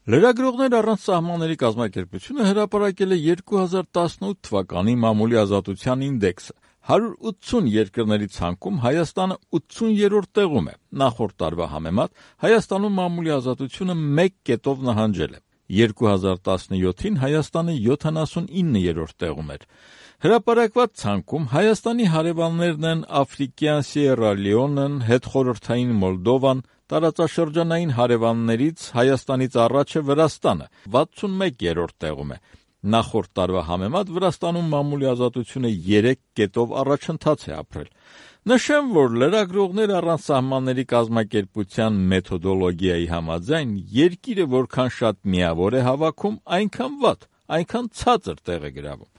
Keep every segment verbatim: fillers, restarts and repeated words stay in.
Լրագրողներ առանց սահմանների կազմակերպությունը հրապարակել է երկու հազար տասնութ թվականի մամուլի ազատության ինդեքսը։ հարյուր ութսուն երկրների ցանկում Հայաստանը ութսուներորդ տեղում է։ Նախորդ տարվա համեմատ Հայաստանում մամուլի ազատությունը մեկ կետով նահանջել է։ երկու հազար տասնյոթին Հայաստանը յոթանասունիններորդ տեղում էր։ Հրապարակված ցանկում Հայաստանի հարևաններն են Աֆրիկյան Սիերա Լեոնեն, հետխորհրդային Մոլդովան, տարածաշրջանային հարևաններից Հայաստանից առաջը Վրաստանը վաթսունմեկերորդ տեղում է։ Նախորդ տարվա համեմատ Վրաստանում մամուլի ազատությունը երեք կետով առաջընթաց է ապրել։ Նշեմ, որ լրագրողներ առանց սահմանների կազմակերպության մեթոդոլոգիայի համաձայն երկիրը որքան շատ միավոր է հավաքում, այնքան վատ, այնքան ցածր տեղ է գրավում։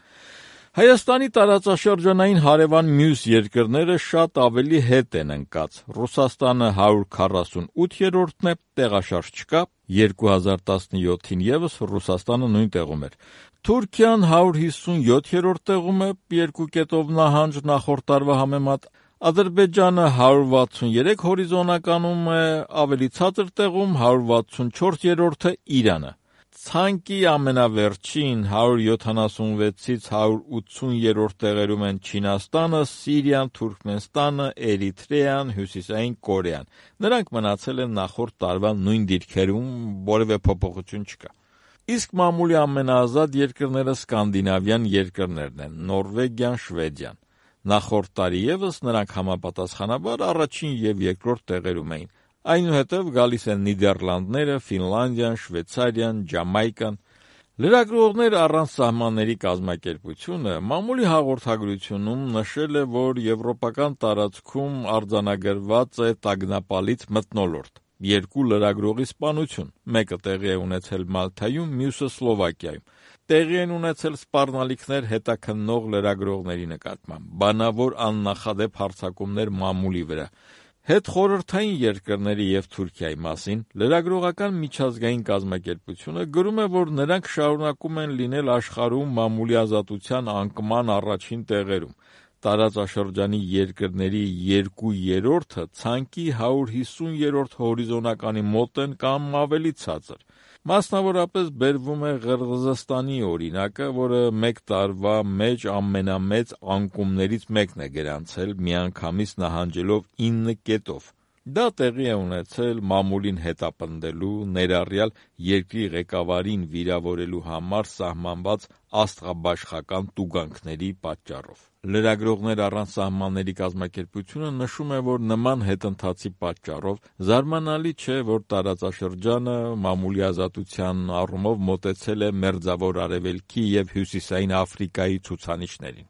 Հայաստանի տարածաշրջանային հարևան մյուս երկրները շատ ավելի հետ են ընկած։ Ռուսաստանը հարյուր քառասունութերորդն է, տեղաշարժ չկա, երկու հազար տասնյոթին ևս Ռուսաստանը նույն տեղում էր։ Թուրքիան հարյուր հիսունյոթերորդ տեղում է, երկու կետով նահանջ նախորդ տարվա համեմատ։ Ադրբեջանը հարյուր վաթսուներեք հորիզոնականում է, ավելի ցածր տեղում հարյուր վաթսունչորսերորդը Իրանը։ Ցանկի ամենավերջին հարյուր յոթանասունվեցից հարյուր ութսուներորդ տեղերում են Չինաստանը, Սիրիան, Թուրքմենստանը, Էրիթրեան, Հյուսիսային Կորեան։ Նրանք մնացել են նախորդ տարվա նույն դիրքերում, որևէ փոփոխություն չկա։ Իսկ մամուլի ամենաազատ երկրները սկանդինավյան երկրներն են՝ Նորվեգիան, Շվեդիան։ Նախորդ տարի ևս նրանք համապատասխանաբար առաջին և երկրորդ տեղերում էին։ Այնուհետև գալիս են Նիդերլանդները, Ֆինլանդիան, Շվեյցարիան, Ջամայկան։ Լրագրողներ առանց սահմանների կազմակերպությունը մամուլի հաղորդագրությունում նշել է, որ եվրոպական տարածքում արձանագրված է տագնապալից մթնոլորտ։ Երկու լրագրողի սպանություն, մեկը տեղի է ունեցել Մալթայում, մյուսը Սլովակիայում։ Տեղի են ունեցել սպառնալիքներ հետաքննող լրագրողների նկատմամբ, բանավոր աննախադեպ հարձակումներ մամուլի վրա։ Հետխորհրդային երկրների և Թուրքիայի մասին լրագրողական միջազգային կազմակերպությունը գրում է, որ նրանք շարունակում են լինել աշխարհում մամուլի ազատության անկման առաջին տեղերում։ Տարածաշրջանի երկրների երկու երրորդը ցանկի հարյուր հիսուներորդ հորիզոնականի մոտ են կամ ավելի ցածր։ Մասնավորապես բերվում է Ղրղզստանի օրինակը, որը մեկ տարվա մեջ ամենամեծ անկումներից մեկն է գրանցել, միանգամից նահանջելով ինը կետով։ Դա տեղի է ունեցել մամուլին հետապնդելու, ներառյալ երկրի ղեկավարին վիրավորելու համար սահմանված աստղաբաշխական տուգանքների պատճառով։ Լրագրողներ առանց սահմանների կազմակերպությունը նշում է, որ նման հետընթացի պատճառով զարմանալի չէ, որ տարածաշրջանը մամուլի ազատության առումով մոտեցել է Մերձավոր Արևելքի և Հյուսիսային Աֆրիկայի ցուցանիշներին։